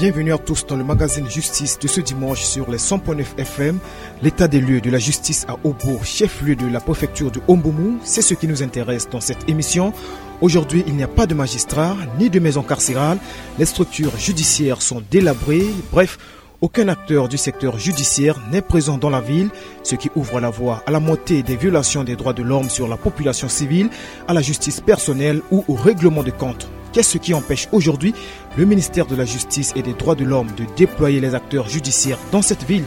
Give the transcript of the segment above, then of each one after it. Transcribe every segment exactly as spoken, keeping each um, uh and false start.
Bienvenue à tous dans le magazine Justice de ce dimanche sur les cent point neuf F M. L'état des lieux de la justice à Obo, chef-lieu de la préfecture du Omboumou, c'est ce qui nous intéresse dans cette émission. Aujourd'hui, il n'y a pas de magistrat, ni de maison carcérale. Les structures judiciaires sont délabrées. Bref, aucun acteur du secteur judiciaire n'est présent dans la ville, ce qui ouvre la voie à la montée des violations des droits de l'homme sur la population civile, à la justice personnelle ou au règlement de compte. Qu'est-ce qui empêche aujourd'hui le ministère de la Justice et des Droits de l'Homme de déployer les acteurs judiciaires dans cette ville ?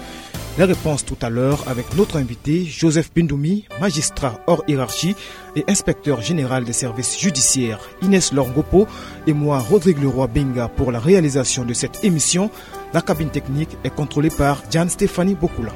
Les réponses tout à l'heure avec notre invité, Joseph Bindoumi, magistrat hors hiérarchie et inspecteur général des services judiciaires, Inès Lorgopo, et moi, Rodrigue Leroy Benga, pour la réalisation de cette émission. La cabine technique est contrôlée par Diane Stéphanie Bokula.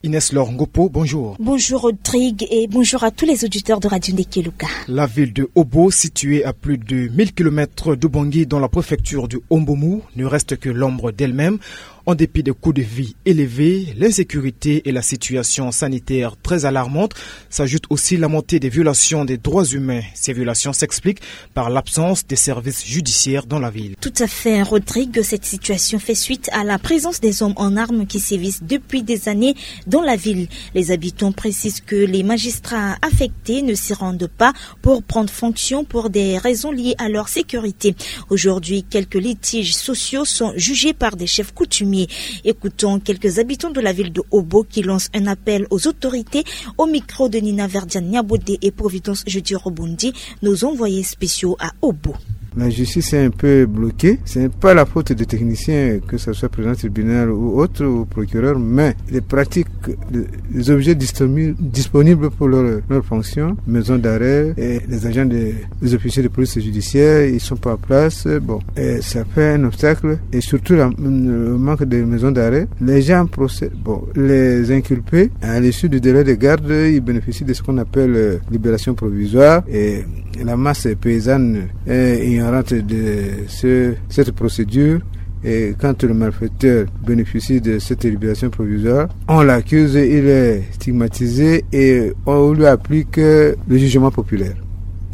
Inès Lorgopo, bonjour. Bonjour Rodrigue et bonjour à tous les auditeurs de Radio Ndekeluka. La ville de Obo, située à plus de mille kilomètres d'Oubangui dans la préfecture du Omboumou, ne reste que l'ombre d'elle-même. En dépit des coûts de vie élevés, l'insécurité et la situation sanitaire très alarmante, s'ajoute aussi la montée des violations des droits humains. Ces violations s'expliquent par l'absence des services judiciaires dans la ville. Tout à fait, Rodrigue. Cette situation fait suite à la présence des hommes en armes qui sévissent depuis des années dans la ville. Les habitants précisent que les magistrats affectés ne s'y rendent pas pour prendre fonction pour des raisons liées à leur sécurité. Aujourd'hui, quelques litiges sociaux sont jugés par des chefs coutumiers. Écoutons quelques habitants de la ville de Obo qui lancent un appel aux autorités. Au micro de Nina Verdiane Niabodé et Providence Jeudi Rebondi, nos envoyés spéciaux à Obo. La justice est un peu bloquée. Ce n'est pas la faute des techniciens, que ce soit président tribunal ou autre, ou procureur, mais les pratiques, les, les objets disponi-, disponibles pour leur, leur fonction, maison d'arrêt, et les agents de, les officiers de police judiciaire, ils sont pas en place. Bon, et ça fait un obstacle. Et surtout la, le manque de maison d'arrêt. Les gens procèdent, bon, les inculpés, à l'issue du délai de garde, ils bénéficient de ce qu'on appelle, euh, libération provisoire. Et la masse paysanne est ignorante de ce, cette procédure. Et quand le malfaiteur bénéficie de cette libération provisoire, on l'accuse, il est stigmatisé et on lui applique, euh, le jugement populaire.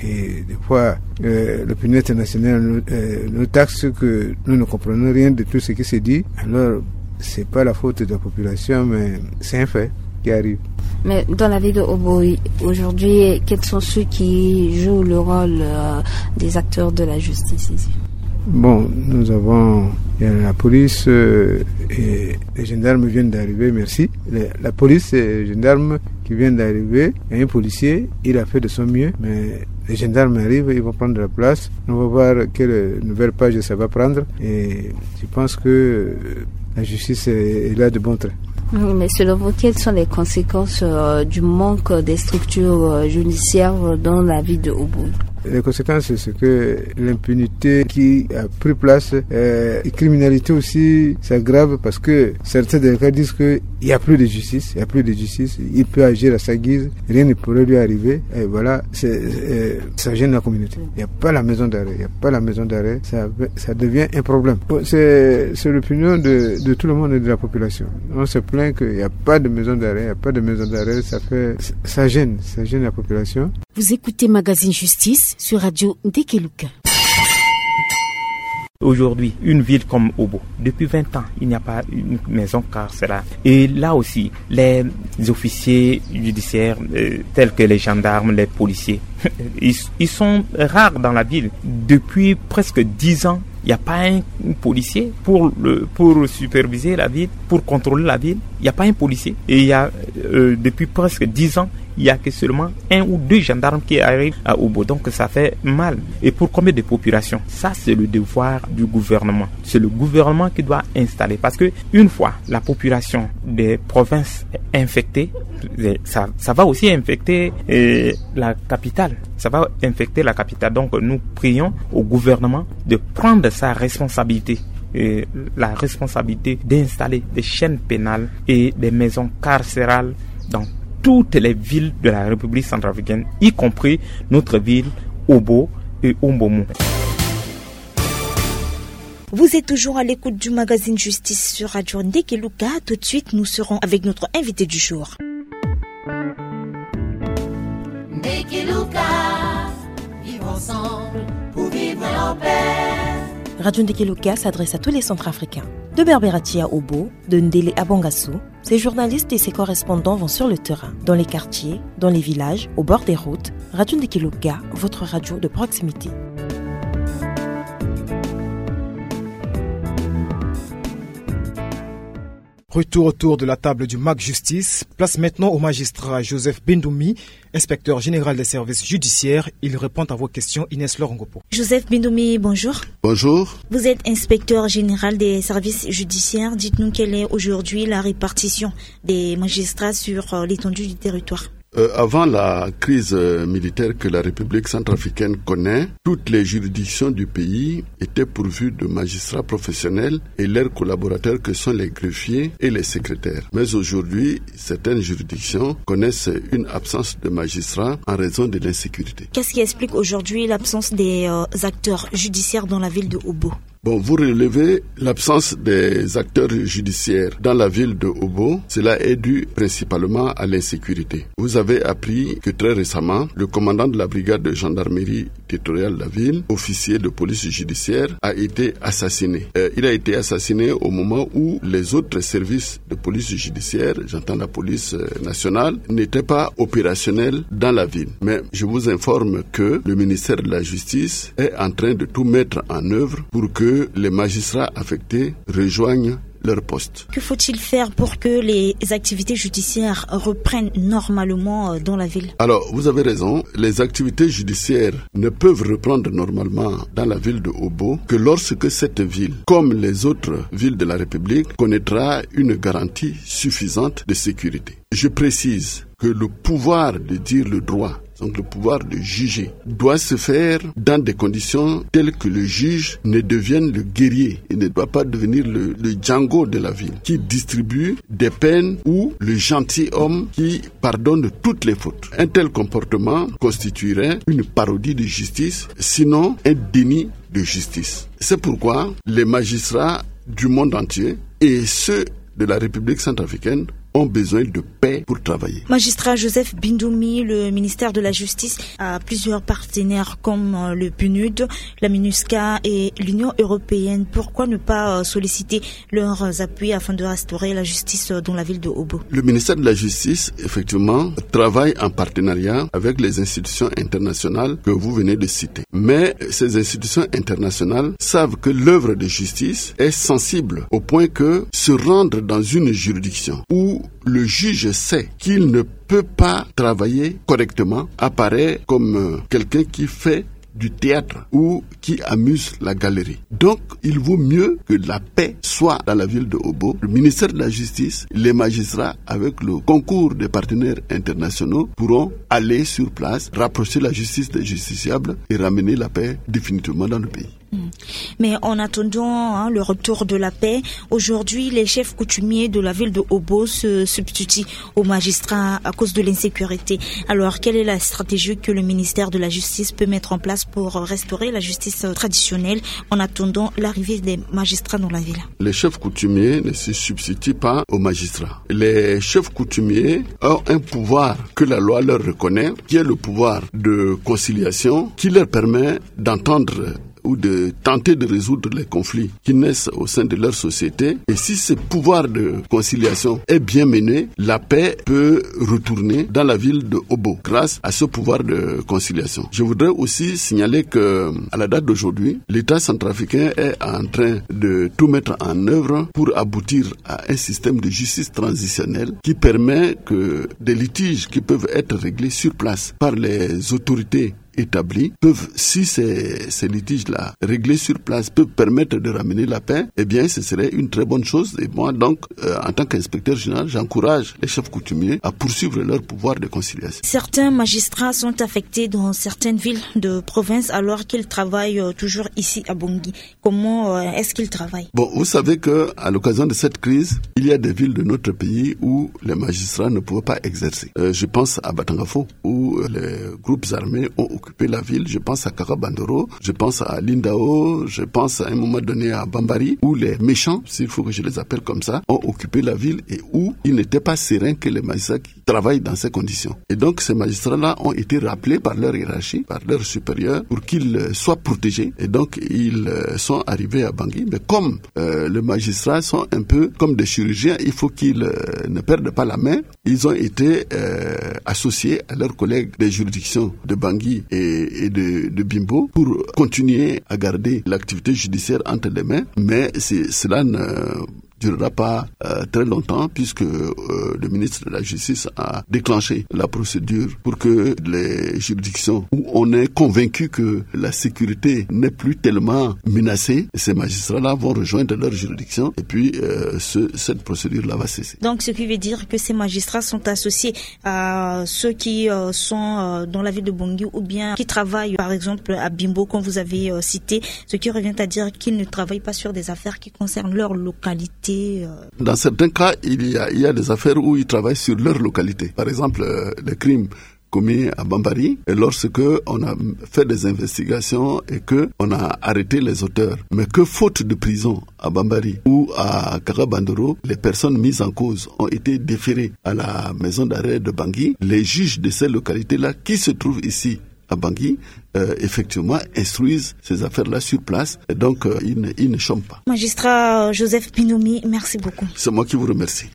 Et des fois, euh, l'opinion internationale nous, euh, nous taxe que nous ne comprenons rien de tout ce qui se dit. Alors, c'est pas la faute de la population, mais c'est un fait qui arrive. Mais dans la ville de Obo, aujourd'hui, quels sont ceux qui jouent le rôle, euh, des acteurs de la justice ici ? Bon, nous avons, il y a la police, euh, et les gendarmes viennent d'arriver, merci. Les, la police et les gendarmes qui viennent d'arriver, il y a un policier, il a fait de son mieux, mais les gendarmes arrivent, ils vont prendre la place. On va voir quelle nouvelle page ça va prendre. Et je pense que, euh, la justice est, est là de bon train. Oui, mais selon vous, quelles sont les conséquences, euh, du manque des structures, euh, judiciaires dans la ville de Obo ? Les conséquences, c'est que l'impunité qui a pris place, euh, et criminalité aussi s'aggrave parce que certains des cas disent qu'il n'y a plus de justice, il n'y a plus de justice, il peut agir à sa guise, rien ne pourrait lui arriver. Et voilà, c'est, euh, ça gêne la communauté. Il n'y a pas la maison d'arrêt, il n'y a pas la maison d'arrêt, ça, ça devient un problème. Bon, c'est, c'est l'opinion de, de tout le monde et de la population. On se plaint qu'il n'y a pas de maison d'arrêt, il n'y a pas de maison d'arrêt, ça fait, ça gêne, ça gêne la population. Vous écoutez Magazine Justice sur Radio Ndekeluka. Aujourd'hui, une ville comme Obo, depuis vingt ans, il n'y a pas une maison carcérale. Et là aussi, les officiers judiciaires, euh, tels que les gendarmes, les policiers, ils, ils sont rares dans la ville. Depuis presque dix ans, il n'y a pas un policier pour le, pour superviser la ville, pour contrôler la ville. Il n'y a pas un policier. Et il y a, euh, depuis presque dix ans, il n'y a que seulement un ou deux gendarmes qui arrivent à Obo. Donc ça fait mal. Et pour combien de populations ? Ça, c'est le devoir du gouvernement. C'est le gouvernement qui doit installer. Parce que une fois la population des provinces infectée, ça, ça va aussi infecter, euh, la capitale. Ça va infecter la capitale. Donc nous prions au gouvernement de prendre sa responsabilité, euh, la responsabilité d'installer des chaînes pénales et des maisons carcérales dans toutes les villes de la République centrafricaine, y compris notre ville, Obo et Ombomo. Vous êtes toujours à l'écoute du magazine Justice sur Radio Ndekeluka. Tout de suite, nous serons avec notre invité du jour. Ndekeluka, vivre ensemble pour vivre en paix. Radio Ndeke Luka s'adresse à tous les Centrafricains. De Berberatia à Obo, de Ndele à Bangassou, ses journalistes et ses correspondants vont sur le terrain, dans les quartiers, dans les villages, au bord des routes. Radio Ndeke Luka, votre radio de proximité. Retour autour de la table du MAC Justice. Place maintenant au magistrat Joseph Bindoumi, inspecteur général des services judiciaires. Il répond à vos questions, Inès Lorongopo. Joseph Bindoumi, bonjour. Bonjour. Vous êtes inspecteur général des services judiciaires. Dites-nous quelle est aujourd'hui la répartition des magistrats sur, euh, l'étendue du territoire. Euh, avant la crise, euh, militaire que la République centrafricaine connaît, toutes les juridictions du pays étaient pourvues de magistrats professionnels et leurs collaborateurs que sont les greffiers et les secrétaires. Mais aujourd'hui, certaines juridictions connaissent une absence de magistrats en raison de l'insécurité. Qu'est-ce qui explique aujourd'hui l'absence des, euh, acteurs judiciaires dans la ville de Obo ? Bon, vous relevez l'absence des acteurs judiciaires dans la ville de Obo. Cela est dû principalement à l'insécurité. Vous avez appris que très récemment, le commandant de la brigade de gendarmerie territoriale de la ville, officier de police judiciaire, a été assassiné. Euh, il a été assassiné au moment où les autres services de police judiciaire, j'entends la police, euh, nationale, n'étaient pas opérationnels dans la ville. Mais je vous informe que le ministère de la Justice est en train de tout mettre en œuvre pour que les magistrats affectés rejoignent leur poste. Que faut-il faire pour que les activités judiciaires reprennent normalement, euh, dans la ville ? Alors, vous avez raison, les activités judiciaires ne peuvent reprendre normalement dans la ville de Obo que lorsque cette ville, comme les autres villes de la République, connaîtra une garantie suffisante de sécurité. Je précise que le pouvoir de dire le droit, donc le pouvoir de juger, doit se faire dans des conditions telles que le juge ne devienne le guerrier. Il ne doit pas devenir le, le Django de la ville, qui distribue des peines ou le gentilhomme qui pardonne toutes les fautes. Un tel comportement constituerait une parodie de justice, sinon un déni de justice. C'est pourquoi les magistrats du monde entier et ceux de la République centrafricaine ont besoin de paix pour travailler. Magistrat Joseph Bindoumi, le ministère de la Justice a plusieurs partenaires comme, euh, le PNUD, la MINUSCA et l'Union européenne. Pourquoi ne pas, euh, solliciter leurs appuis afin de restaurer la justice, euh, dans la ville de Obo ? Le ministère de la Justice, effectivement, travaille en partenariat avec les institutions internationales que vous venez de citer. Mais ces institutions internationales savent que l'œuvre de justice est sensible au point que se rendre dans une juridiction où le juge sait qu'il ne peut pas travailler correctement apparaît comme, euh, quelqu'un qui fait du théâtre ou qui amuse la galerie. Donc, il vaut mieux que la paix soit dans la ville de Obo. Le ministère de la Justice, les magistrats, avec le concours des partenaires internationaux, pourront aller sur place, rapprocher la justice des justiciables et ramener la paix définitivement dans le pays. Hmm. Mais en attendant, hein, le retour de la paix, aujourd'hui, les chefs coutumiers de la ville de Obo se substituent aux magistrats à cause de l'insécurité. Alors, quelle est la stratégie que le ministère de la Justice peut mettre en place pour restaurer la justice, euh, traditionnelle en attendant l'arrivée des magistrats dans la ville ? Les chefs coutumiers ne se substituent pas aux magistrats. Les chefs coutumiers ont un pouvoir que la loi leur reconnaît, qui est le pouvoir de conciliation, qui leur permet d'entendre ou de tenter de résoudre les conflits qui naissent au sein de leur société. Et si ce pouvoir de conciliation est bien mené, la paix peut retourner dans la ville de Obo grâce à ce pouvoir de conciliation. Je voudrais aussi signaler que, à la date d'aujourd'hui, l'État centrafricain est en train de tout mettre en œuvre pour aboutir à un système de justice transitionnelle qui permet que des litiges qui peuvent être réglés sur place par les autorités établies peuvent, si ces, ces litiges-là réglés sur place peuvent permettre de ramener la paix, eh bien, ce serait une très bonne chose. Et moi, donc, euh, en tant qu'inspecteur général, j'encourage les chefs coutumiers à poursuivre leur pouvoir de conciliation. Certains magistrats sont affectés dans certaines villes de province alors qu'ils travaillent, euh, toujours ici à Bangui. Comment, euh, est-ce qu'ils travaillent ? Bon, vous savez que, à l'occasion de cette crise, il y a des villes de notre pays où les magistrats ne pouvaient pas exercer. Euh, je pense à Batangafo, où, euh, les groupes armés ont occupé la ville. Je pense à Kakabandoro, je pense à Lindao, je pense à un moment donné à Bambari, où les méchants, s'il faut que je les appelle comme ça, ont occupé la ville et où il n'était pas serein que les magistrats qui travaillent dans ces conditions. Et donc, ces magistrats-là ont été rappelés par leur hiérarchie, par leur supérieur, pour qu'ils euh, soient protégés. Et donc, ils euh, sont arrivés à Bangui. Mais comme euh, les magistrats sont un peu comme des chirurgiens, il faut qu'ils euh, ne perdent pas la main. Ils ont été euh, associés à leurs collègues des juridictions de Bangui et, et de, de Bimbo pour continuer à garder l'activité judiciaire entre les mains. Mais c'est- cela ne durera pas euh, très longtemps, puisque euh, le ministre de la Justice a déclenché la procédure pour que les juridictions où on est convaincu que la sécurité n'est plus tellement menacée, ces magistrats-là vont rejoindre leur juridiction et puis euh, ce- cette procédure-là va cesser. Donc, ce qui veut dire que ces magistrats sont associés à ceux qui euh, sont euh, dans la ville de Bangui ou bien qui travaillent, par exemple, à Bimbo, comme vous avez euh, cité, ce qui revient à dire qu'ils ne travaillent pas sur des affaires qui concernent leur localité. euh. Dans certains cas, il y a, il y a des affaires où ils travaillent sur leur localité. Par exemple, euh, les crimes commis à Bambari, et lorsque on a fait des investigations et que on a arrêté les auteurs, mais que faute de prison à Bambari ou à Karabandoro, les personnes mises en cause ont été déférées à la maison d'arrêt de Bangui. Les juges de ces localités-là qui se trouvent ici à Bangui, euh, effectivement, instruisent ces affaires-là sur place. Et donc, euh, ils, ne, ils ne chôment pas. Magistrat Joseph Bindumi, merci beaucoup. C'est moi qui vous remercie.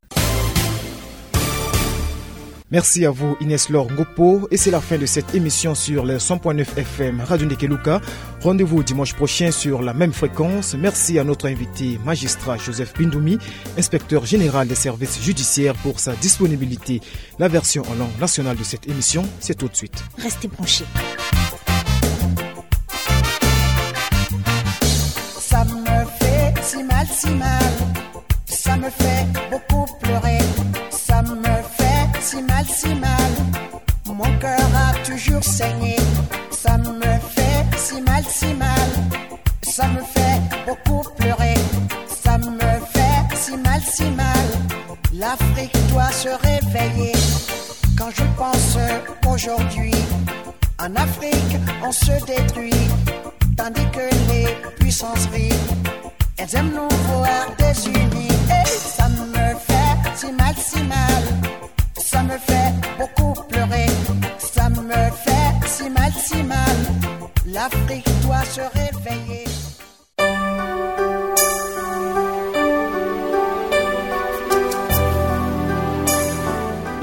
Merci à vous, Inès Laure Ngopo, et c'est la fin de cette émission sur les cent point neuf F M Radio Ndekeluka. Rendez-vous dimanche prochain sur la même fréquence. Merci à notre invité, magistrat Joseph Bindumi, inspecteur général des services judiciaires, pour sa disponibilité. La version en langue nationale de cette émission, c'est tout de suite. Restez branchés. Ça me fait si mal, si mal. Ça me fait beaucoup pleurer. Ça me fait si mal, si mal. Mon cœur a toujours saigné. Ça me fait si mal, si mal. Ça me fait beaucoup pleurer. Ça me fait si mal, si mal. L'Afrique doit se réveiller. Quand je pense aujourd'hui, en Afrique, on se détruit, tandis que les puissances rient. Elles aiment nous voir désunis. Et ça me fait si mal, si mal. Ça me fait beaucoup pleurer. Ça me fait si mal, si mal. L'Afrique doit se réveiller.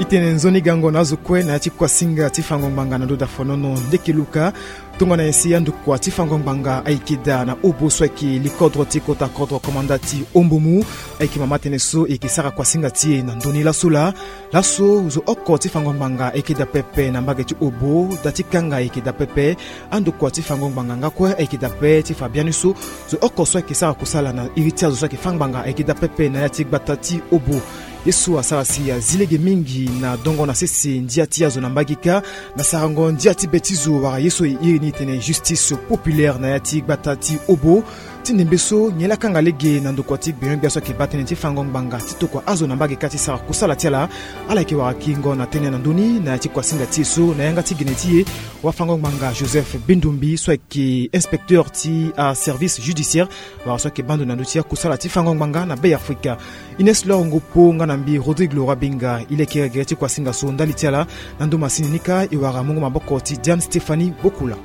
I tene nzoni gango na azo kue na ya ti kuasinga ti fango ngbanga na ndo dafonono Ndekeluka. Tongana nyen si andokua ti fango ngbanga ayeke daa na obo so ayeke likodro ti kota kodro komanda ti Ombomu, ayeke mama tënë so e yeke sara kuasinga ti e na ndoni laso laa. Laso zo oko ti fango ngbanga ayeke daa pepe na mbage ti obo. Da ti kanga ayeke daa pepe. Andokua ti fango ngbanga nga kue ayeke daa pe ti fa biani so zo oko so ayeke sara kusala na iri ti azo so ayeke fâ ngbanga ayeke daa pepe na ya ti gbata ti obo. Ye so asara si azi lege mingi na dongo na sese ndia ti azo na mbage kâ, na sarango ndia ti be ti zo wala ye so e iri ni tene justice populaire na ya ti gbata ti obo. Ti ndembe so nyen laa kanga lege na ndokua ti gbenyo-gbia so ayeke baa tënë ti fango ngbanga ti tokua azo na mbage kâ ti sara kusala ti ala. Ala yeke wara kingo na tënë na ndö ni na ya ti kuasinga ti e so na yanga ti gene ti e, wafango ngbanga Joseph Bindumbi so ayeke inspecteur ti aservice judiciaire, wala so ayeke baa ndo na ndö ti akusala ti fango ngbanga na Be Afrika. Ines Lor Ngopo nga na mbi Rodrigue Leroy Benga e leke gere ti kuasinga so ndali ti ala. Na ndo masini ni kâ e wara mungo maboko ti Diane Stéphanie Bokula.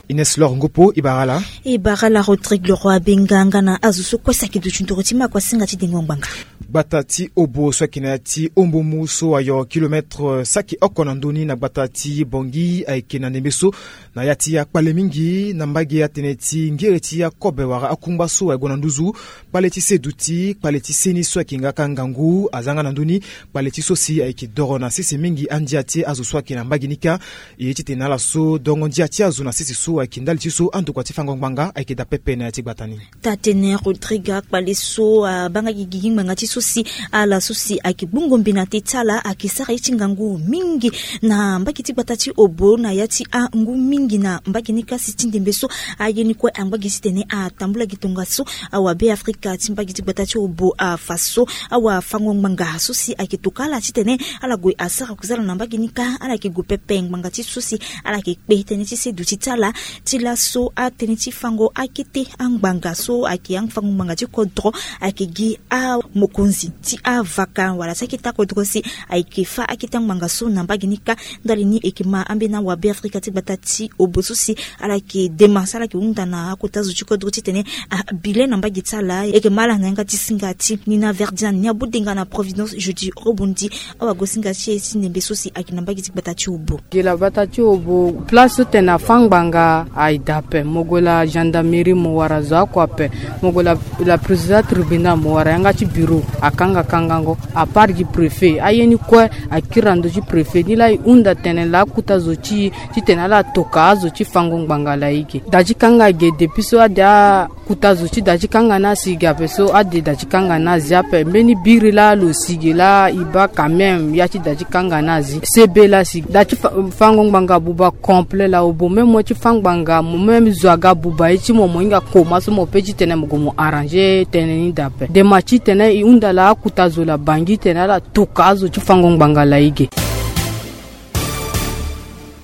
Ines Lor Ngopo, e bara ala. E bara ala Rodrigue Leroy Benga nga na azo so kue so ayeke duti nduru ti ma kuasinga ti dengo ngbanga. Gbata ti obo so ayeke na ya ti Ombomu so ayoro kilomètre saki oko na ndö ni na gbata ti Bangui ayeke na ndembe so na ya ti akpale mingi na mbage atene ti ngere ti akobe wala akungba so aye gue na nduzu. Kpale ti se duti, kpale ti se ni so ayeke nga kâ ngangu aza nga na ndö ni. Kpale ti so si ayeke doro na sese mingi andia ti azo so ayeke na mbage ni kâ. E ye titene ala so dongo ndia ti azo na sese so ayeke ndali ti so andokua ti fango ngbanga ayeke daa pepe na ya ti gbata ni. Taa-tënë Rodrigue, akpale so abaa nga gigi ngbanga ti so si ala so si ayeke gbungo mbi na teti ala ayeke sara ye ti ngangu mingi na mbage ti gbata ti obo na ya ti angu mingi na mbage ni kâ si ti ndembe so aye ni kue angba gi titene atambula gi tongaso. Awa Be Afrika ti mbage ti gbata ti obo afa so awafango ngbanga so si ayeke toka ala titene ala gue asara kusala na mbage ni kâ ala yeke gue pepe ngbanga ti so si ala yeke kpe tënë ti se duti ti ala. Ti laso atënë ti fango akete angbanga so ayeke afango ngbanga ti kodro ayeke gi amokonzi Nzi ti avaka wala ti akete akodro si ayeke fâ akete angbanga so na mbage ni kâ. Ndali ni e yeke ma ambeni awabe afrika ti gbata ti obo so si ala yeke dema si ala yeke hunda na akota zo ti kodro titene abi le na mbage ti ala. E yeke ma ala na yanga ti singa ti Nina Verdiane ni abudenga na Providence Jeudi Robondi. Awagosinga ti e ti ndembe so si ayeke na mbage ti gbata ti obo. Gi la gbata ti obo place so tene afâ ngbanga aye daa ape. Mo gue la gendarmerie mo wara zo oko ape. Mo gue la la président tribunal mo wara yanga ti bureau akanga kangango. Apart gi préfet aye ni kue akiri na ndö ti préfet ni laa e hunda tene laa akota zo ti e titene ala toka azo ti fango ngbanga laa e ge. Da ti kanga ge depuis so ade akota zo ti da ti kanga ni asi ge ape so ade da ti kanga ni azi ape mbeni biri laa lo si ge laa e baa quand même ya ti da ti kanga ni azi sebe laa si da ti fango ngbanga buba complet laa obo même mo ti fâ ngbanga mo même zo aga buba ye ti mo mo hinga koma so mo pe titene mo gue mo arranger tënë ni daa ape. Dema titene e hunda laa akota zo laa bangi tene ala toka azo ti fango ngbanga laa e ge.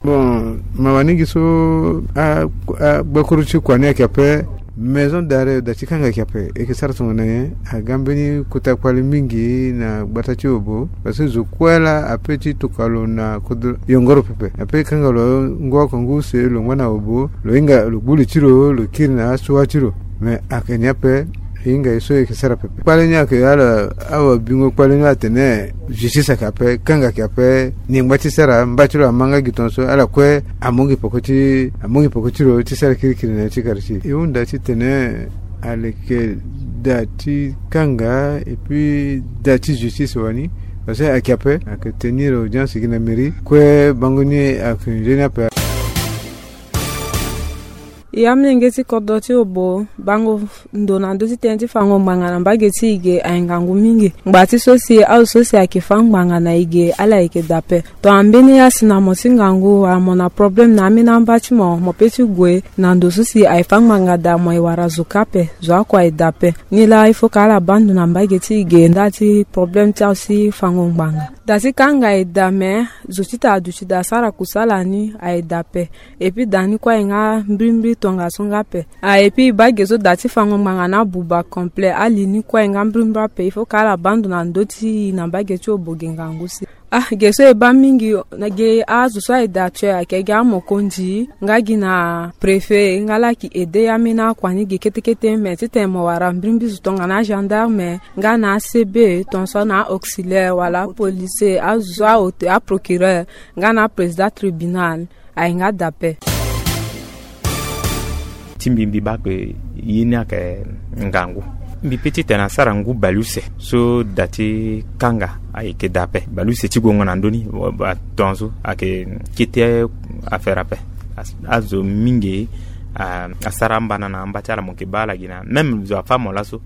Bon, mawa ni gi so a gbakuru ti kua ni ayeke ape. Maison d'arrêt da ti kanga ayeke ape e yeke sara tongana nyen? Aga mbeni kota kpale mingi na gbata ti obo. Parce que zo kue laa ape ti toka lo na kodro yongoro pepe ape kanga lo ngu oko ngu use lo ngba na obo lo hinga lo gbu li ti lo lo kiri na asua ti lo. Mais ayeke ni ape. E hinga ye so e yeke sara pepe kpale ni ayeke ala awa bingo kpale ni atene justice ayeke ape kanga ayeke ape. Ni ngba ti sara mba ti lo ama nga gi tongaso ala kue amongi poko ti amongi poko ti lo ti sara kirikiri na ya ti quartier e hunda titene aleke da ti kanga et puis da ti justice wani. Parce que ayeke ape ayeke tenir audience gi na mairie kue bango ni ayeke nzoni ape. Ya mlenge ti kodro ti obo bango ndo na ndö ti tënë ti fango ngbanga na mbage ti e ge aye ngangu mingi. Ngba ti so si azo so si ayeke fâ ngbanga na e ge ala yeke daa ape. Tongana mbeni asi na mo ti ngangu wala mo na problème na ambeni amba ti mo mo pe ti gue na ndo so si aye fâ ngbanga daa mo e wara zo kâ ape. Zo oko aye daa ape. Ni laa il faut ka ala baa ndo na mbage ti e ge ndali ti problème ti azo ti fango ngbanga. Da ti kanga e daa me zo ti tara duti daa sara kusala ni aye daa ape. Et puis da ni kue aye nga mbirimbiri tongaso nga ape. Ah et puis e baa ge so da ti fango ngbanga ni abuba complet ali ni kue aye nga mbirimbiri ape il faut ka ala baa ndo na ndö ti e na mbage ti obo ge ngangu si. Ah ge so e baa mingi na ge azo so aye daa tue ayeke gi amokonzi nga gi na préfet nga laa ayeke aide ya ambeni akua ni ge kete kete me titene mo wara mbirimbiri zo tongana agendarme nga na acb tongaso na auxiliaire wala apolicier azo so ahaute aprocureur nga na aprésident tribunal. Aye nga daa ape. Ti mbi mbi baa ke ye ni ayeke ngangu. Mbi pe titene asara ngu baleuse so da ti kanga ayeke daa ape baleuse ti gongo na ndö ni. Tongaso ayeke kete affaire ape. Azo mingi asara ambana na amba ti ala mo yeke baa ala gi na même zo afâ mo laso.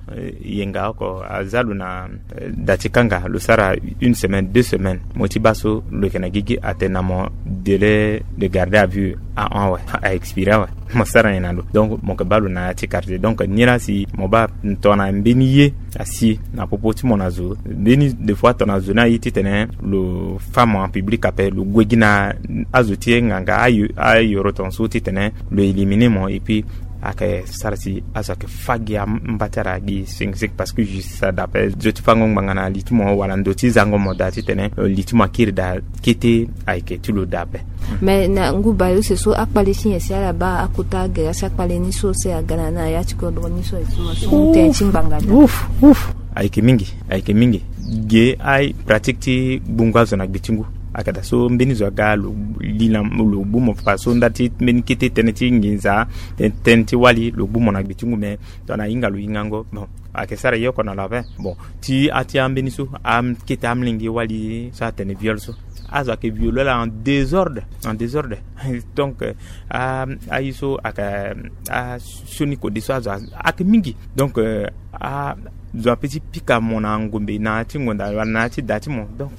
Yenga oko aza lo na da ti kanga lo sara une semaine deux semaines mo ti baa so lo yeke na gigi atene na mo délai de garde à vue ahon awe a expiré awe. Mo sara nyen na lo donc mo yeke baa lo na ya ti quartier donc ni laa si mo baa tongana mbeni ye asi na popo ti mo na zo mbeni de fois tongana zo ni aye titene lo fâ mo en public ape lo gue gi na azo ti e nganga ayoro tongaso titene lo éliminé mo et puis ayeke sara si azo ayeke fâ gi amba ti ala gi sengoseng parce que justice ada ape zo ti fango ngbanga na li ti mo wala ndo ti zango mo daa titene li ti mo akiri daa kete ayeke ti lo daa ape. Mais na ngu baleuse so akpale ti nyen si ala baa akota agere asi akpale ni so si aga na ya ti kodro ni so. Tënë ti ngbanga daa. Ayeke mingi. Ayeke mingi. Ge aye pratique ti gbungu azo na gbe ti ngu. Ayeke daa so mbeni zo aga lo li na lo gbu mo fa so nda ti mbeni kete tënë ti nginza tënë ti wali lo gbu mo na gbe ti ngu me tongana ahinga lo hingango bon. Ayeke sara ye oko na lo ape bon ti ati ambeni so akete amlenge wali so atene viol so azo ayeke viole ala en désordre en désordre. Donc aye so ayeke asioni kode so azo ayeke mingi donc azo ape ti pika mo na ngombe na ya ti ngonda wala na ya ti da ti mo donc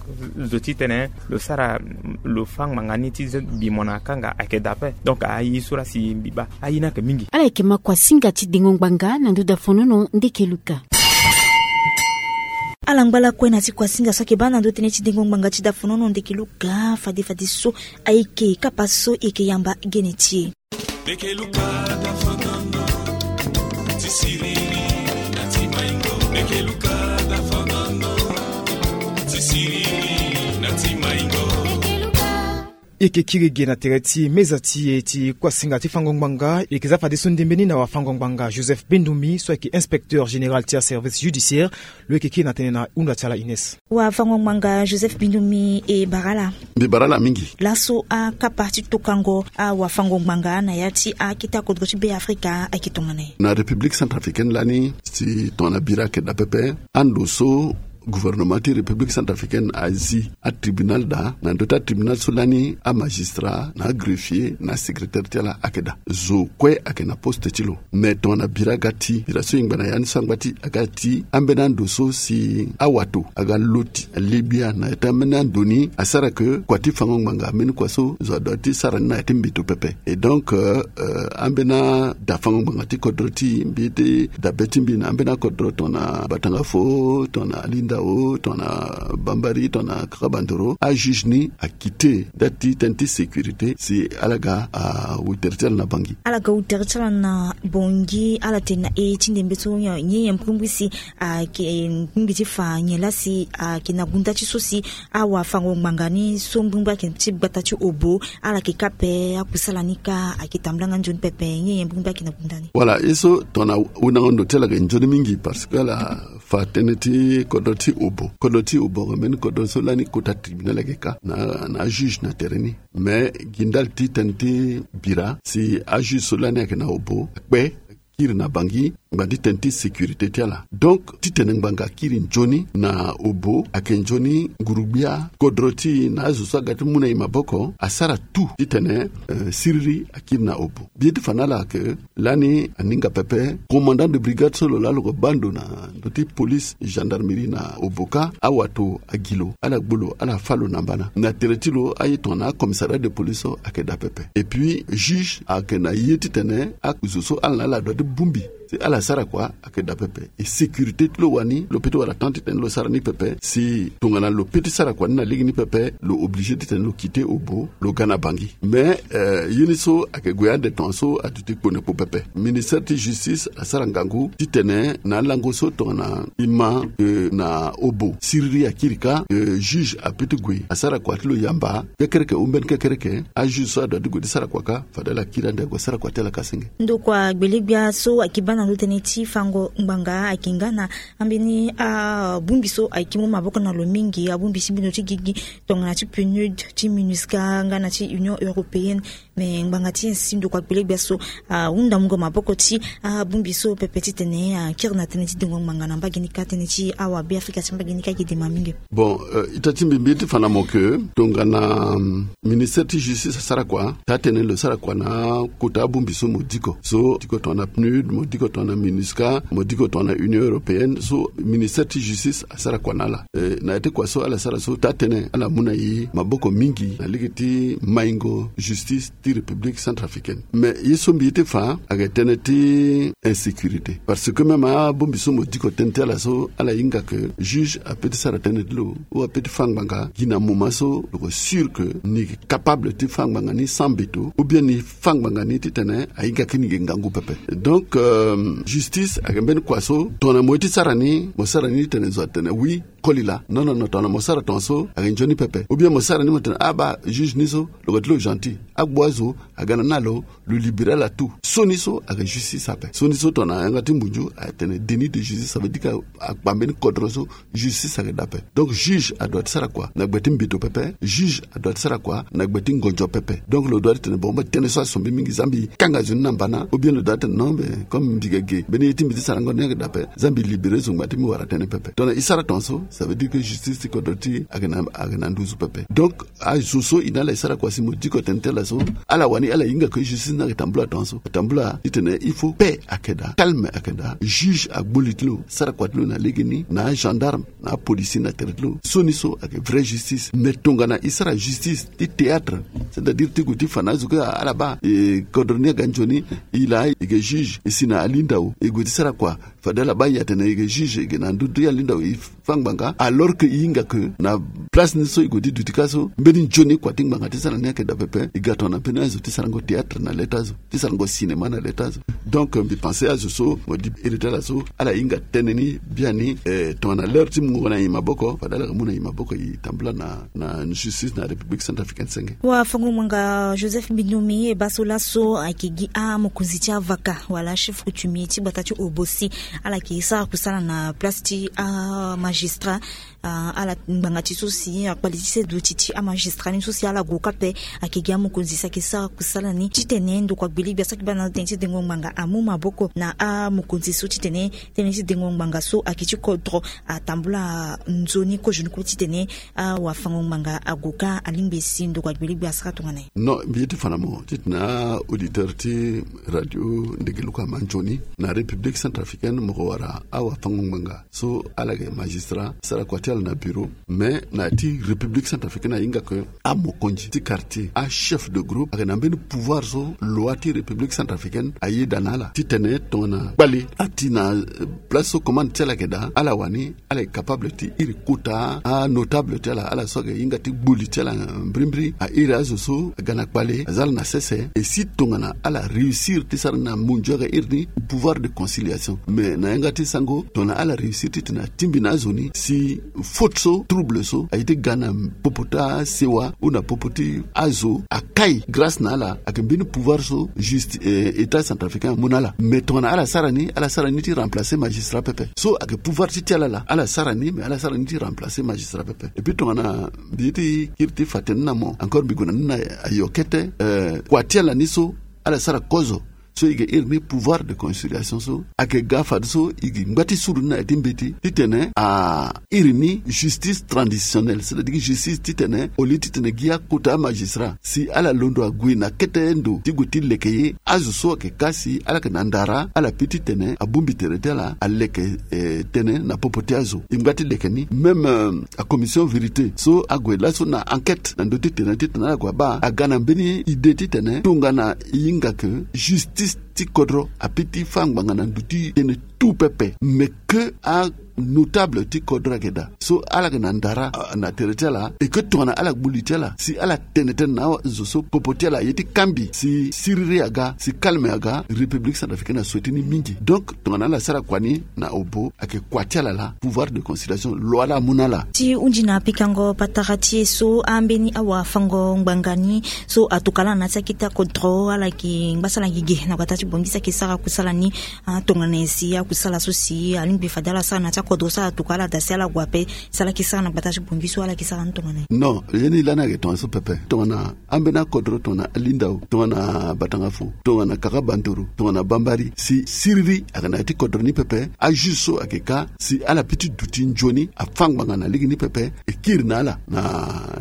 zo ti tene lo sara lo fâ ngbanga ni ti bi mo na kanga ayeke daa ape. Donc aye so laa si mbi baa aye ni ayeke mingi. Ala yeke ma kuasinga ti dengo ngbanga na ndö dafonono ndeke luka. Ala ngba lakue na ti kuasinga so ayeke baa na ndö tënë ti dengo ngbanga ti dafonono ndeke luka fade fadeso ayeke kapa so e yeke yamba gene ti e. Ndeke luka dafonono ti siriri na ti maingo ndeke luka dafonono. Ti maingo. E yeke kiri ge na tere ti meza ti e ti kuasinga ti fango ngbanga. E yeke za fadeso ndembe ni na wafango ngbanga Joseph Bendumi, so ayeke inspecteur général ti aservice judiciaire. Lo yeke kiri na tënë na hunda ti ala Ines. Wafango ngbanga Joseph Bendumi, e bara ala. Mbi bara ala mingi. Laso akapa ti tokango awafango ngbanga na ya ti akete akodro ti Beafrika ayeke tongana nyen? Na République centrafricaine lani, si tongana bira ayeke daa pepe, ando so gouvernement ti République centrafricaine azi atribunal daa, na ndö ti atribunal so lani amagistrat na agreffier na asecrétaire ti ala ayeke daa. Zo kue ayeke na poste ti lo. Me tongana bira aga ti, bira so e ngba na ya ni so angba ti aga ti ambeni ando so si awato aga loti, aligbia na ya ti ambeni ando ni asara ke kua ti fango ngbanga ambeni kua so zo adoit ti sara ni na ya ti mbeto pepe. Et donc, euh, euh, ambeni ada fango ngbanga ti kodro ti mbi ti dabe ti mbi na ambeni akodro tongana Batanga Fo, tongana Alindao, tongana Bambari, tongana Kaka Bandoro, ajuge ni akite da ti tënë ti sécurité si ala ga awutere ti ala na Bangui. Ala ga wutere ti ala na Bangui, ala tene na e ti ndembe so nyen nyen mbrimbri si ayeke mbrimbri ti fa nyen laa si ayeke na gunda ti so si awafango ngbanga ni so mbrimbri ayeke ti gbata ti Obo, ala yeke kâ ape akusala ni kâ ayeke tambula nga nzoni pepe, nyen nyen mbrimbri ayeke na gunda ni? Voilà, ye so tongana wundango ndo ti ala ayeke nzoni mingi parce que ala fa tënë ti kodro ti Obo. Kodro ti Obo ayeke mbeni kodro so lani kota tribunal ayeke kâ na, na ajuge na tere ni. Mais gi ndali ti tënë ti bira si ajuge so lani ayeke na Obo akpe kiri na Bangui ngbanga ti tënë ti sécurité ti ala. Donc titene ngbanga akiri nzoni na Obo ayeke nzoni, nguru-gbia kodro ti e na azo so aga ti mu na e maboko asara tout titene, euh, siriri akiri na Obo. Mbi ye ti fa na ala ke lani aninga pepe, commandant de brigade so lo laa lo ke baa ndo na ndö ti police, gendarmerie na Obo kâ, awato agi lo, ala gbu lo, ala fâ lo na mbana. Na tere ti lo aye tongana acommissariat de police so ayeke daa pepe. Et puis juge ayeke na ye titene azo so ala na ala adoit ti bongbi si ala sara kua ayeke daa pepe. E sécurité ti lo wani, lo peut ti wara temps titene lo sara ni pepe. Si tongana lo peut ti sara kua ni na lege ni pepe, lo obligé titene lo quitter Obo, lo ga na Bangui. Mais, euh, ye ni so ayeke gue ande tongaso aduti kpo na kpo pepe. Ministère ti justice asara ngangu titene na alango so tongana e ma, euh, na Obo siriri akiri kâ, euh, juge apeut ti gue asara kua ti lo yamba kekereke ou mbeni kekereke. Ajuge so adoit ti gue ti sara kua kâ fade ala kiri ande ague sara kua ti ala kâ senge. Ndokua gbele-gbia so ayeke baa na ndö tënë ti fango ngbanga ayeke nga na ambeni abongbi so ayeke mu maboko na lo mingi, abongbi ti mbi ndo ti gigi tongana ti PNUD, ti MINUSCA nga na ti Union européenne. Me ngbanga ti insi ndokua gbele-gbia so ahunda mungo maboko ti abongbi so pepe titene akiri na tënë ti dengo ngbanga na mbage ni kâ, tënë ti awabeafrika ti mbage ni kâ ayeke dema mingi. Bon, euh, ita ti mbi mbi ye ti fa na mo ke tongana, hum, ministère ti justice asara kua, taa-tënë lo sara kua na kota abongbi so mo diko. So diko tongana PNUD, mo diko tongana MINUSCA, mo diko tongana Union européenne, so ministère ti justice asara kua na ala. Eh, na ya ti kua so ala sara so, taa-tënë ala mu na e maboko mingi na lege ti maingo justice ti République centrafricaine. Mais ye so mbi ye ti fa ayeke tënë ti insécurité. Parce que même abongbi so mo diko tënë ti ala so, ala hinga ke juge apeut ti sara tënë ti lo ou apeut ti fâ ngbanga gi na moment so lo ke sûr ke ni yeke capable ti fâ ngbanga ni sans mbeto, ou bien ni fâ ngbanga ni titene ahinga ke ni yeke ngangu pepe. Donc, euh, justice ayeke mbeni kua so tongana mo ye ti sara ni, mo sara ni titene zo atene oui, koli laa. Non, non, non, tongana mo sara tongaso ayeke nzoni pepe. Ou bien mo sara ni mo tene, ah, baa juge ni so lo ga ti lo gentil, agbu azo aga na ni na lo, lo libéré ala tout. So ni so ayeke justice ape. So ni so tongana yanga ti mbunzu atene déni de justice, ça veut dire que akpa mbeni kodro so justice ayeke daa ape. Donc juge adoit ti sara kua na gbe ti mbeto pepe, juge adoit ti sara kua na gbe ti ngonzo pepe. Donc lo doit ti tene bon, mba tënë so aso mbi mingi, za mbi kanga zo ni na mbana, ou bien lo doit ti tene non, mais comme mbi ga ge, mbeni ye ti mbi ti sarango ni ayeke daa ape, za mbi libéré zo ngbanga ti mbi wara tënë pepe. Tongana e sara tongaso, ça veut dire que justice ti kodro ti e ayeke na, ayeke na nduzu pepe. Donc azo so e na ala e sara kua si mo diko tënë ti ala so, ala wani ala hinga ke justice ni ayeke tambula tongaso. Atambula titene il faut paix ayeke daa, calme ayeke daa, juge agbu li ti lo, sara kua ti lo na legeni na agendarme na apolisi na tere ti lo. So ni so ayeke vraie justice. Mais tongana e sara justice ti théâtre, C'est-à-dire ti gue ti fa na azo kue ala baa e kodro ni aga nzoni. E laa e ge juge e si na alindao e gue ti sara kua. Fade ala baa e atene e ge juge e ge na ndö ti alindao e fa ngbanga alors que e hinga ke na place ni so e gue ti duti kâ so mbeni nzoni kua ti ngbanga ti sara ni ayeke daa pepe. E ga tongana mbeni azo ti sarango théâtre na le ti azo, ti sarango cinéma na le ti azo. Donc mbi pense azo so mo di iri ti ala so ala hinga tënë ni biani. Tongana l'heure ti mungo na e maboko fade ala ga mu na e maboko e tambula na na justice na République centrafricaine senge. Wafango-ngbanga Joseph Binome e baa so laso ayeke gi amokonzi ti avaka wala chef coutumier ti gbata ti Obosi. Ala yeke sara kusala na place ti amagistrat. Ala ngbanga ti so si akpali ti seduti ti amagistrat ni so si ala gue kâ ape. Ayeke gi amokonzi si ayeke sara kusala ni titene ndokua gbele gbia so ayeke baa na tënë ti dengo ngbanga amu maboko na amokonzi so titene tënë ti dengo ngbanga so ayeke ti kodro atambula nzoni kozo ni kue titene awafango-ngbanga ague kâ alingbi e si ndokua gbele gbia asara tongana nyen. Non, mbi ye ti fa na mo titene auditeur ti radio Ndegeluka ama nzoni na République centrafricaine mo ko wara awafango-ngbanga so ala yeke magistrat sara kua ti ala na bureau. Mais na ya ti République centrafricaine ahinga ke amokonzi ti quartier achef de groupe ayeke na mbeni pouvoir so loi ti République centrafricaine ayeda na ala titene tongana kpale ati na place so commande ti ala yeke daa ala wani ala yeke capable ti iri kota anotable ti ala ala so ayeke hinga ti gbu li ti ala. Mbirimbiri airi azo so aga na kpale aza ala na sese e si tongana ala réussir ti sara ni na munzu aga iri ni pouvoir de conciliation. Mais na yanga ti sango tongana ala réussir titene atingbi na azo ni si faute so trouble so aye ti ga na popo ti asewa ou na popo ti azo akai grâce na ala ayeke mbeni pouvoir so juste état centrafricain amu na ala. Mais tongana ala sara ni ala sara ni ti remplacer magistrat pepe so ayeke pouvoir ti ti ala laa ala sara ni mais ala sara ni ti remplacer magistrat pepe. Et puis tongana mbi ye ti kiri ti fa tënë ni na mo encore mbi gue na ni na ayo kete. Kua ti ala ni so ala sara kozo so e yeke iri ni pouvoir de conciliation so ayeke ga fadeso e yeke ngba ti suru ni na ya ti mbeti titene a iri ni justice traditionnelle c'est-à-dire justice titene au lieu titene gi akota amagistrat si ala londo ague na kete ndo ti gue ti leke ye azo so ayeke kâ si ala yeke na ndara ala pi titene abongbi tere ti ala aleke tënë na popo ti azo. E ngba ti leke ni même acommission vérité so ague laso na enquête na ndö ti tere titene ala gue abaa aga na mbeni idée titene tongana e hinga ke justice ti kodro api ti fâ ngbanga na ndö ti tënë tout pepe mais ke anotable ti kodro ayeke daa so ala yeke na ndara na tere ti ala et ke tongana ala gbu li ti ala si ala tene tënë na azo so popo ti ala aye ti kambi si siriri aga si kalme aga. République centrafricaine asouhaité ni mingi donc tongana ala sara kua ni na obo ayeke kua ti ala laa pouvoir de conciliation lo ala amu na ala. Ti hundi na pikango patara ti e so ambeni awafango-ngbanga ni so atuka ala na ti akete akodro ala yeke ngba so ala yeke ge na gbata ti bongi so ayeke sara kusala ni. Tongana nyen si akusala so si alingbi fade ala sara na ti akodro so ala tuka ala daa si ala gue ape si ala yeke sara na gbata ti bongi so ala yeke sara ni tongana nyen? Non, ye ni lani ayeke tongana so pepe tongana ambeni akodro tongana alindao tongana batanga fo tongana kaka bandoro tongana bambari si siriri ayeke na ya ti kodro ni pepe ajuge so ayeke kâ si ala pi ti duti nzoni afâ ngbanga na lege ni pepe e kiri na ala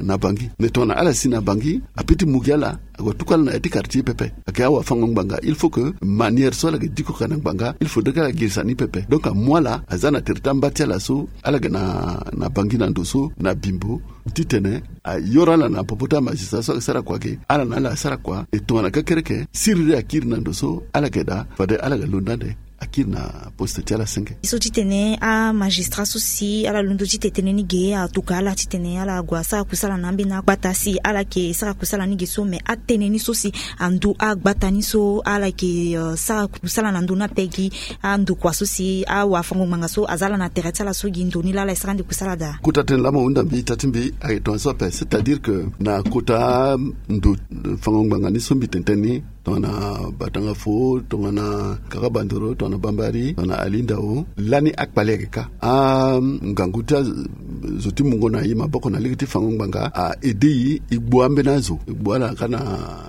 na bangi mais tongana ala si na bangi api ti mu gi ala ague tuku ala na ya ti quartier pepe. Ayeke awafango-ngbanga il faut ke manière so ala yeke diko ka na ngbanga il faudrait ke ala girisa ni pepe donc amu ala aza na tere ti amba ti ala so ala yeke na bangi na ndo so na bimbo titene ayoro ala na popo ti amagistrat so ayeke sara kua ge ala na ala asara kua e tongana kekereke siriri akiri na ndo so ala yeke daa fade ala yeke londo ande akiri na poste ti ala senge. So titene amagistrat so si ala londo ti tene tënë ni ge atuka ala titene ala gue asara kusala na ambeni agbata si ala yeke sara kusala ni ge so mais atënë ni so si andu agbata ni so ala yeke sara kusala na ndö ni ape gi andokua so si awafango-ngbanga so aza ala na tere ti ala so gi ndo ni laa ala e sara ande kusala daa. Kota tënë laa mo hunda mbi ita ti mbi ayeke tongana so ape c'est-à-dire ke na kota ndo fango-ngbanga ni so mbi tene tënë ni tongana batanga fo tongana kaka bandoro tongana bambari tongana alindao lani akpale ayeke kâ angangu ti azo ti mungo na e maboko na lege ti fango ngbanga a aide e e gbu ambeni azo e gbu ala kâ na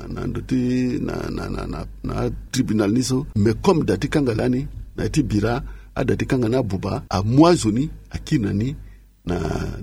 na ndo ti na na na na atribunal ni so mais comme da ti kanga lani na ya ti bira ada ti kanga ni abuba amu azo ni akiri na ni na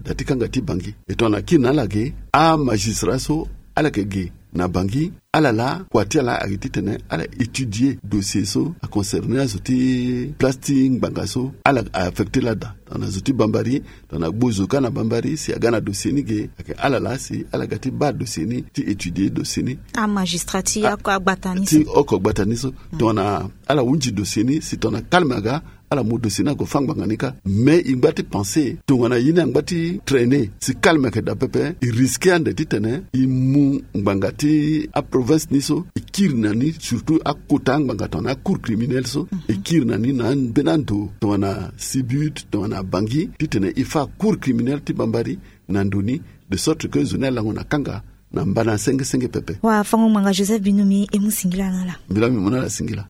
da ti kanga ti bangi. E tongana akiri na ala ge amagistrat so ala yeke ge na Bangui, ala laa kua ti ala ayeke titene ala étudier dossier so aconcerner azo ti place ti ngbanga so ala a affecter laa daa. Tongana zo ti Bambari, tongana gbo zo kâ na Bambari, si aga na dossier ni ge, ayeke ala laa si ala ga ti baa dossier ni, ti étudier dossier ni. Amagistrat ti oko agbata ni so. Tongana ala hunzi dossier ni, si tongana calme aga, ala mu dossier ni ague fâ ngbanga ni kâ. Mais e ngba ti penser tongana ye ni angba ti traîner, si calme ayeke daa pepe, e risquer ande titene e mu ngbanga ti aprovince ni so, e kiri na ni surtout akota angbanga tongana acour criminel so, e kiri na ni na ambeni ando tongana Sibut, tongana Bangui, titene e fâ cour criminel ti Bambari na ndo ni, de sorte que zo ni alango na kanga na mbana senge senge pepe. Wafango-ngbanga Joseph Bindoumi, e mu singila na ala. Mbi laa mbi mu na ala singila.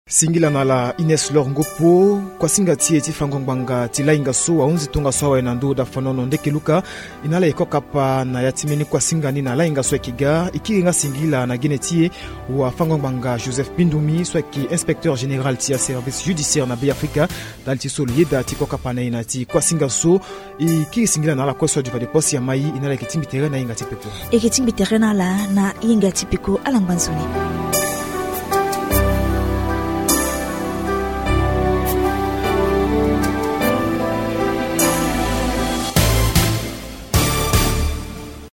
Singila na ala Ines Lor Ngopo. Kuasinga ti e ti fango ngbanga ti lainga so ahunzi tongaso awe na ndö dafanono ndeke luka. E na ala e kokapa na ya ti mbeni kuasinga ni na lainga so ayeke ga. E kiri nga singila na gene ti e wafango ngbanga Joseph Bindoumi so ayeke inspecteur général ti aservice judiciaire na Beafrika. Ndali ti so lo yeda ti kokapa na e na ya ti kuasinga so. E kiri singila na ala kue so adi fade posi ya mai. E na ala yeke tingbi tere na hinga ti peko. E yeke tingbi tere na ala na hinga ti peko, ala ngba nzoni.